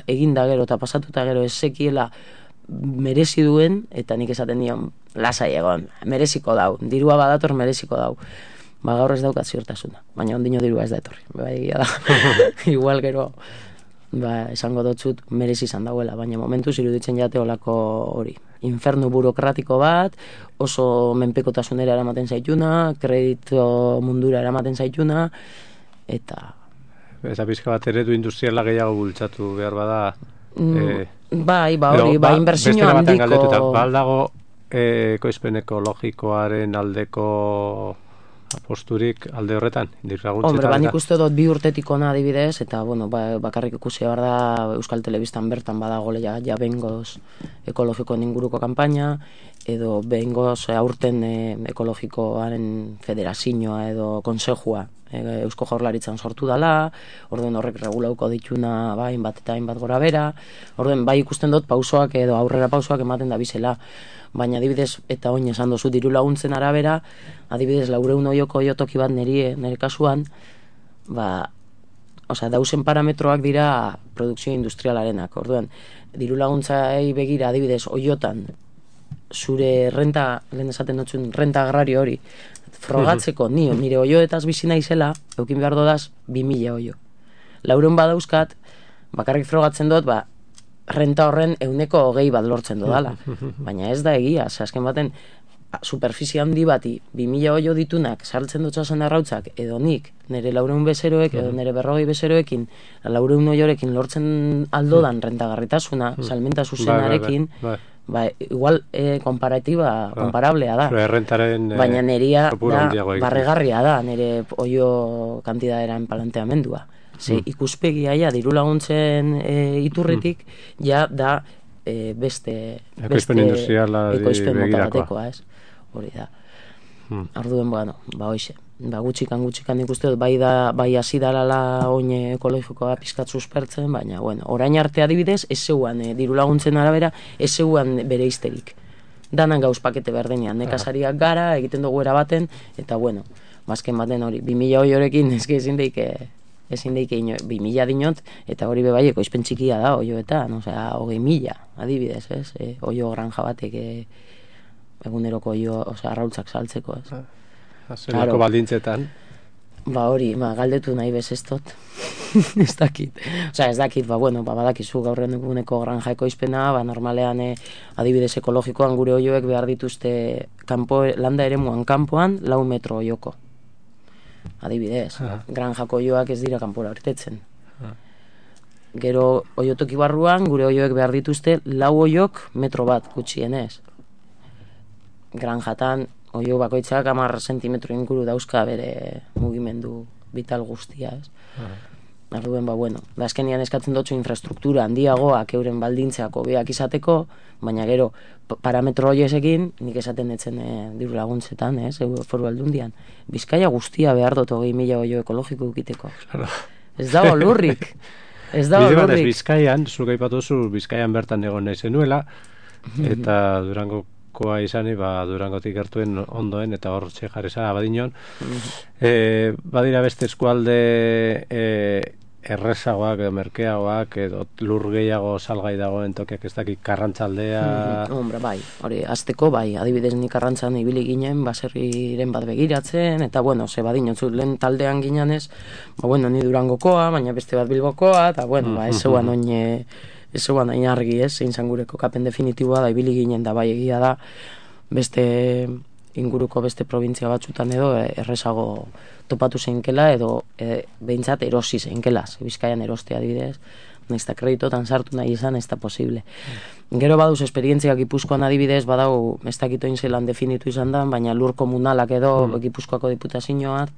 eginda gero eta pasatuta gero ez sekiela merezi duen, eta nik esaten dion lasai egon, mereziko dau, dirua badator mereziko dau. Gaur ez daukat ziurtasuna, baina ondino dirua ez da etorri, egia da. Igual gero esango dotzut merezi izan dauela, baina momentuz iruditzen jate olako hori. Infernu burokratiko bat, oso menpekotasunera eramaten zaituna, kredito mundura eramaten zaituna, eta... Eta pizka bat eredu industriala gehiago bultzatu behar bada... inbertsio handiko... Baldago ekoizpen ekologikoaren aldeko aposturik alde horretan, dirlaguntzetan. Nik uste dut 2 urtetik ona adibidez, eta bakarrik ikusi behar da Euskal Telebistan bertan badago ja behingoz ekologikoen inguruko kanpaina, edo behingoz aurten ekologikoaren federazioa edo konsejua Eusko Jaurlaritzan sortu dela, orden horrek regulauko dituna hainbat eta hainbat gora bera, orden ikusten dut pausoak edo aurrera pausoak ematen da bizela, baina adibidez, eta oin esan dozu diru laguntzen arabera, adibidez 400 oioko oiotoki bat nire kasuan, dauzen parametroak dira produkzio industrialarenak, orduan, diru laguntzai begira adibidez oiotan, zure renta, lehen esaten dutzun, renta agrario hori, frogatzeko nire oioetaz bizi naizela, eukin behar dodaz 2000 oio. 400 badauzkat, bakarrik frogatzen dut, renta horren 120 bat lortzen dodala. Baina ez da egia, azken baten, superficie handi bati 2000 oio ditunak sartzen dutxasen arrautzak, edo nik, nire 400 bezeroek, edo nire 40 bezeroek, 400 oiorekin lortzen aldodan rentagarritasuna, salmenta zuzenarekin, igual komparablea da. Baina neria barregarria da, nire oio kantidaderen planteamendua. Ikuspegia diru laguntzen iturritik da beste ekoizpen industriala batekoa, ez? Hori da. Orduen, hoxe. Gutxikan ikuste dut, bai hasi dalala oin ekologikoa pizkat suspertzen, baina, orain arte adibidez, ez zeuan, diru laguntzen arabera, ez zeuan bere izterik. Danan gauz pakete berdenean, nekazariak gara, egiten dugu erabaten, eta, bazken baten hori, 2000 oiorekin, ezin daike 2000 dinot, eta hori bebai ekoizpen txikia da, oioetan, 20.000, adibidez, ez? Oio granja batek eguneroko arrautzak saltzeko, ez? Zelako baldintzetan. Hori, galdetu nahi bez ez dut. Ez dakit. Ez dakit, badakizu gaur eguneko granja ekoizpena, normalean adibidez ekologikoan gure oioek behar dituzte landa eremuan kanpoan 4 metro oioko. Adibidez, granjako oioak ez dira kanpora irtetzen. Gero oiotoki barruan gure oioek behar dituzte 4 oiok metro bat gutxienez. Granjatan oio bakoitzak 10 zentimetro inguru dauzka bere mugimendu vital guztia, ez? Arduen, bueno, da azkenian eskatzen dutxu infrastruktura handiagoak euren baldintzeak hobeak izateko, baina gero parametro horiesekin nik esaten etzen diru laguntzetan, Foru Aldundian. Bizkaia guztia behar dut 20.000 oio ekologiko ukiteko. Claro. Ez dago lurrik. Ez dago Bide batez lurrik. Bizkaian, zuk aipatu zu Bizkaian bertan egon nahi zenuela, eta Durangokoa izani, Durangotik gertuen ondoen, eta hor jarreza abadinon. Badira beste eskualde errezagoak edo merkeagoak edo lur gehiago salgai dagoen tokiak ez dakit Karrantzaldea... Hombre, bai, hori, azteko bai, adibidez nik Karrantzan ibili ginen, baserriren bat begiratzen, eta bueno, ze badinotzu, lehen taldean ginenez, ni Durangokoa, baina beste bat Bilbokoa, eta bueno, ez zeuan oin argi, zein zan gure kokapen definitiboa da, ibili ginen da, bai egia da, beste inguruko beste provintzia batzutan edo errezago topatu zeinkela edo behintzat erosi zeinkela, Bizkaian eroste adibidez, nahiz eta kreditotan sartu nahi izan, ez da posible. Gero baduz esperientziak Gipuzkoan adibidez, badau, ez dakitoin zelan definitu izan da, baina lur komunalak edo Gipuzkoako diputazioak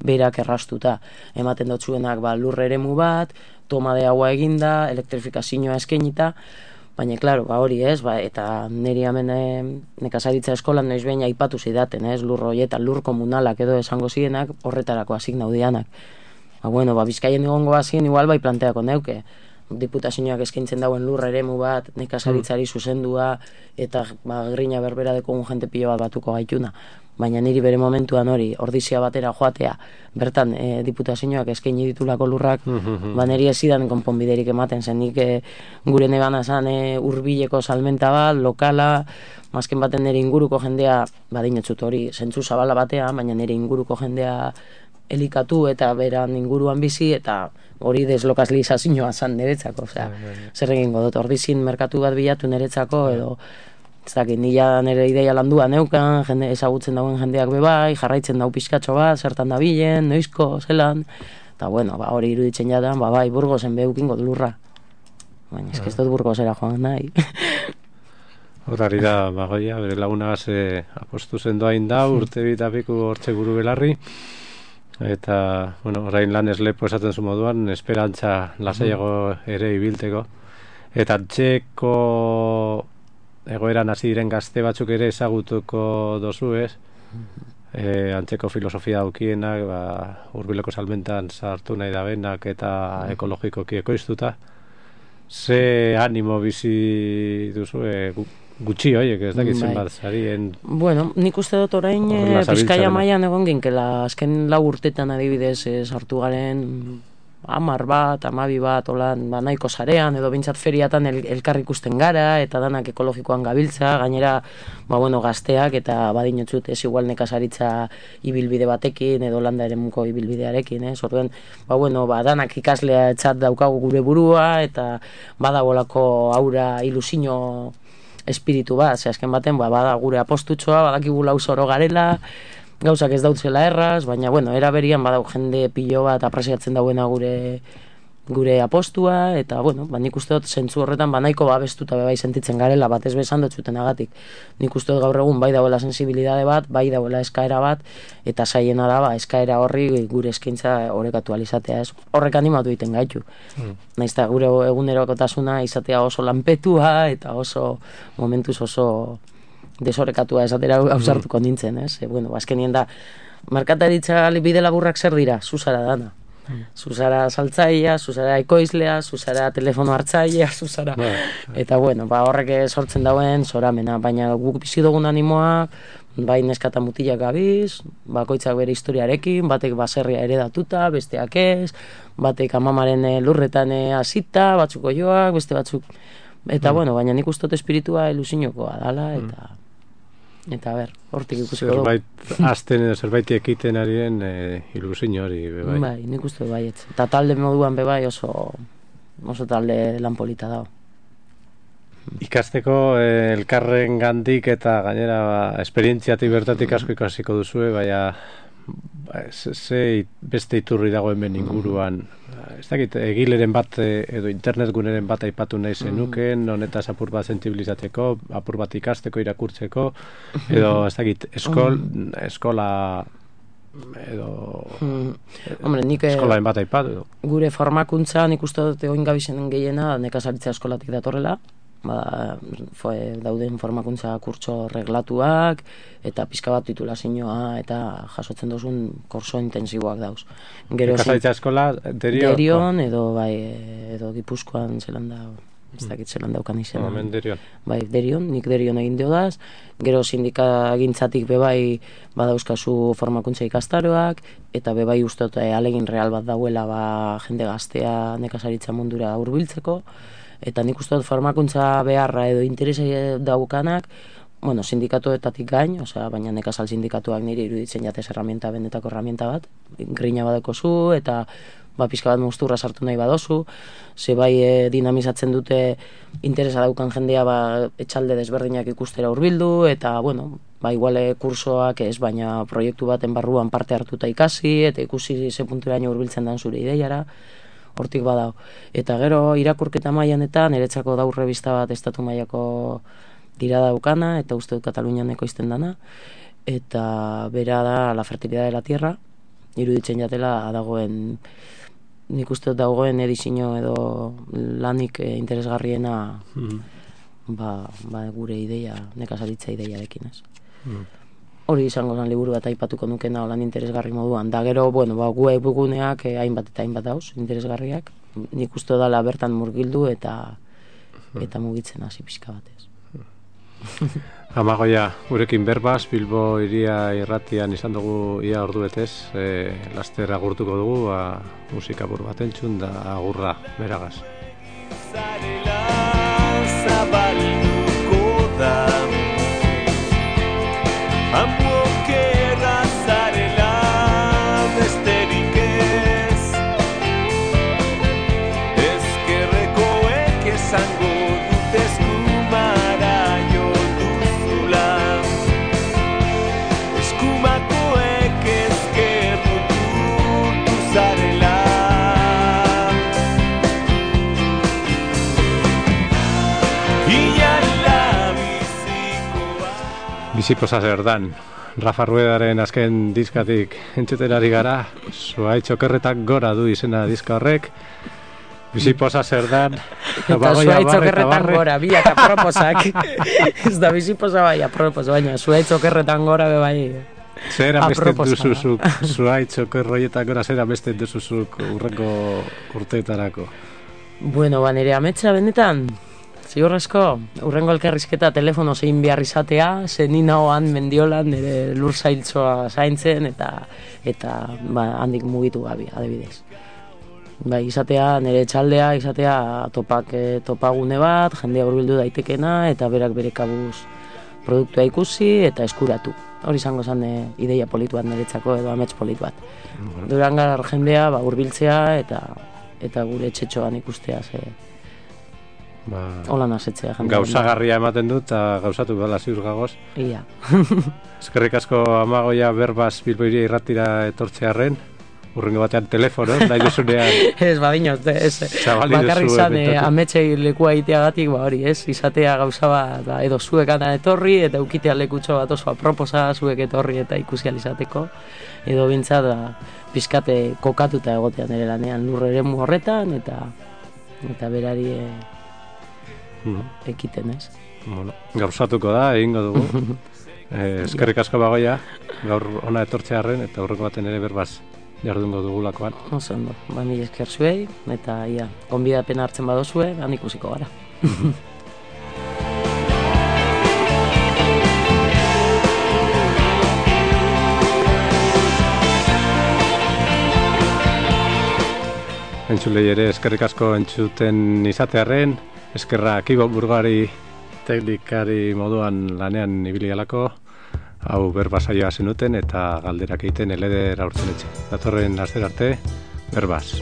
berak errastuta. Ematen dotzuenak lur eremu bat, toma de agua eginda, elektrifikazioa eskenita, baina, klaro, hori eta niri hemen nekazaritza eskolan noiz behin aipatu zidaten, lur horietan, lur komunalak edo esango zirenak, horretarako asignaudianak. Bizkaien egongo hazien, igual bai planteako neuke, diputazioak eskaintzen dauen lur eremu bat, nekazaritzari zuzendua, eta grina berbera dekogun jente pilo bat batuko gaituna. Baina niri bere momentuan hori, ordizia batera joatea, bertan diputazioak eskaini ditulako lurrak, niri ez zidan konponbiderik ematen zen, nik gure nebana zan hurbileko salmenta bat, lokala, mazken baten nire inguruko jendea, badinotzut hori, zentzu zabala batea, baina nire inguruko jendea elikatu eta beran inguruan bizi, eta hori deslokalizazioa zan niretzako, zer egingo dut, ordizin merkatu bat bilatu niretzako, edo ez dakit, nila nire ideia landua neukan, jende ezagutzen dauen jendeak bebai, jarraitzen dau pizkatxo bat, zertan da bilen, noizko, zelan, eta hori iruditzen jadan, bai, Burgosen behukingo lurra. Baina, ez dut Burgosera joan nahi. Horari da, Goia, bere lagunagaz apostu zendoain da, urte bitapiku hortxe guru belarri, eta, orain lan eslepo esaten zu moduan, esperantza lasaiago ere ibilteko, eta txeko egoeran hasi diren gazte batzuk ere ezagutuko dozu, antzeko filosofia daukienak, hurbileko salmentan sartu nahi dabenak eta ekologikoki ekoiztuta. Ze animo bizi duzu, gutxi horiek, ez dakit zenbat zarien... Nik uste dut orain Bizkaia mailan egon ginkela, azken 4 urtetan adibidez sartu garen 10 bat, 12 bat, nahiko sarean, edo bintzat feriatan elkar ikusten gara, eta danak ekologikoan gabiltza, gainera, gazteak, eta badinotzut ez igual nekazaritza ibilbide batekin, edo landa eremuko ibilbidearekin, orduen, danak ikaslea txat daukagu gure burua, eta badabolako aura ilusino espiritu bat, azken baten, bada gure apostutxoa, badakigula usoro garela, gauzak ez dautzela erraz, baina, era berian badau jende pilo bat apresiatzen dauena gure apostua, eta, nik uste dut zentzu horretan nahiko babestuta bebai sentitzen garela, bat ez bezan dut zuten agatik. Nik uste dut gaur egun bai dauela sensibilidade bat, bai dauela eskaera bat, eta saiena da, eskaera horri gure eskaintza orekatu alizatea, ez? Horrek animatu egiten gaitu. Naiz eta gure egunerokotasuna izatea oso lanpetua, eta oso momentuz oso desorekatua esatera ausartuko nintzen, ez? Azkenien da, merkataritza bide laburrak zer dira? Zuzara dana. Zuzara saltzailea, zuzara ekoizlea, zuzara telefono hartzailea, zuzara... Eta, horrek sortzen dauen zoramena, baina guk bizi dugun animoak, bai neskata mutilak gabiz, bakoitzak bere historiarekin, batek baserria eredatuta, besteak ez, batek amamaren lurretan hasita, batzuk oioak, beste batzuk... Eta, baina nik uste dut espiritua ilusiokoa dala, eta hortik ikusiko dugu. Zerbait azten edo zerbait ekiten arien ilusio hori, bebai. Bai, nik uste du baietz. Eta talde moduan bebai oso talde lan polita dago. Ikasteko elkarren gandik eta gainera esperientziatik bertatik asko ikasiko duzue, baina beste iturri dago hemen inguruan. Ez dakit, egileren bat edo internet guneren bat aipatu nahi zenuken, honetaz apur bat sensibilizatzeko, apur bat ikasteko, irakurtzeko, edo ez dakit, eskola edo Hombre, nik eskolaen bat aipatu. gure formakuntza nik uste dut egoin gabizenen gehiena nekazaritza eskolatik datorrela, dauden formakuntza kurtso reglatuak eta pizka bat titulazioa eta jasotzen duzun kurso intensiboak dauz. Nekazaritza eskola Derion edo Gipuzkoan zelan da, ez dakit zelan daukan izena. Derion. Bai, nik Derion egin diodaz, gero sindikagintzatik bebai badauzkazu formakuntza ikastaroak, eta bebai ustot alegin real bat dauela jende gaztea nekazaritza mundura hurbiltzeko, eta nik uste dut formakuntza beharra edo interesa daukanak, sindikatuetatik gain, baina nekazal sindikatuak niri iruditzen jatez benetako herramienta bat, grina badekozu, eta pizka bat musturra sartu nahi badozu, ze bai dinamizatzen dute interesa daukan jendea etxalde desberdinak ikustera hurbildu, eta iguale kursoak ez, baina proiektu baten barruan parte hartuta ikasi, eta ikusi ze punturaino hurbiltzen dan zure ideiara, hortik badao. Eta gero irakurketa mailanetan niretzako daur revista bat estatu mailako dira daukana, eta uste dut Katalunian ekoizten dana, eta bera da La fertilidad de la tierra, iruditzen jatela dagoen, nik uste dut dagoen edizio edo lanik interesgarriena gure ideia, nekazaritza ideiarekin, ez. Hori izango zen liburu bat aipatuko nukena lan interesgarri moduan. Da gero, webguneak hainbat eta hainbat dauz, interesgarriak. Nik uste dala bertan murgildu eta mugitzen hasi pixka batez. Amagoia, gurekin berbaz, Bilbo iria irratian izan dugu ia ordu betez, laster agurtuko dugu, musika bur bat entzun da agurra, beragaz. Amuokerra zarela besterik ez, ezkerrekoek esango dut eskumara jo duzula, eskumakoek ezkerrutu zarela. Bizipoza zer dan, Rafa Ruedaren azken diskatik entzuterari gara, Zuhaitz okerretak gora du izena diska horrek, Bizipoza zer dan, eta Zuhaitz okerretan gora, biak aproposak, ez da bizipoza bai apropos, baina Zuhaitz okerretan gora bai zer amesten duzuzuk, Zuhaitz okerroietan gora zer amesten duzuzuk urrengo urteetarako? Nire ametsa benetan, ziurrezko, urrengo elkarrizketa telefono zein behar izatea, zenin nagoan Mendiolan nire lur zailtzoa zaintzen eta handik mugitu gabi, adibidez. Izatea nire txaldea, izatea topagune bat, jendea hurbildu daitekena eta berak bere kabuz produktua ikusi eta eskuratu. Hori izango zen ideia politu bat niretzako edo amets politu bat. Durangar jendea hurbiltzea eta gure etxetxoan ikustea hola nasetzea jendea. Gauzagarria ematen dut eta gauzatu bala ziur gagoz. Ia. Eskerrik asko Amagoia berbaz Bilbo iria irratira etortzearren, urrengo batean telefono, nahi duzunean. Ez, badinoz, bakarrik zan ametsei lekua egiteagatik, hori, ez, izatea gauza bat, edo zuek ana etorri, eta ukitea lekutxo bat oso aproposa zuek etorri eta ikusi alizateko, edo bintzat, pizkate kokatuta egotean ere lanean lur eremu horretan, eta berari ekiten, ez. Gauzatuko da, egingo dugu. Eskerrik asko Bagoia, gaur ona etortzearren, eta urrengo baten ere berbaz jardungo dugulakoan. Oso ondo, mila esker zuei, eta gonbidapena hartzen badozue, han ikusiko gara. Entzulei ere eskerrik asko entzuten izatearren, eskerra Kibo Burgari teknikari moduan lanean ibili galako, hau berbasaioa zenuten eta galderak egiten eleder aurtzen etxe. Datorren aster arte, berbaz.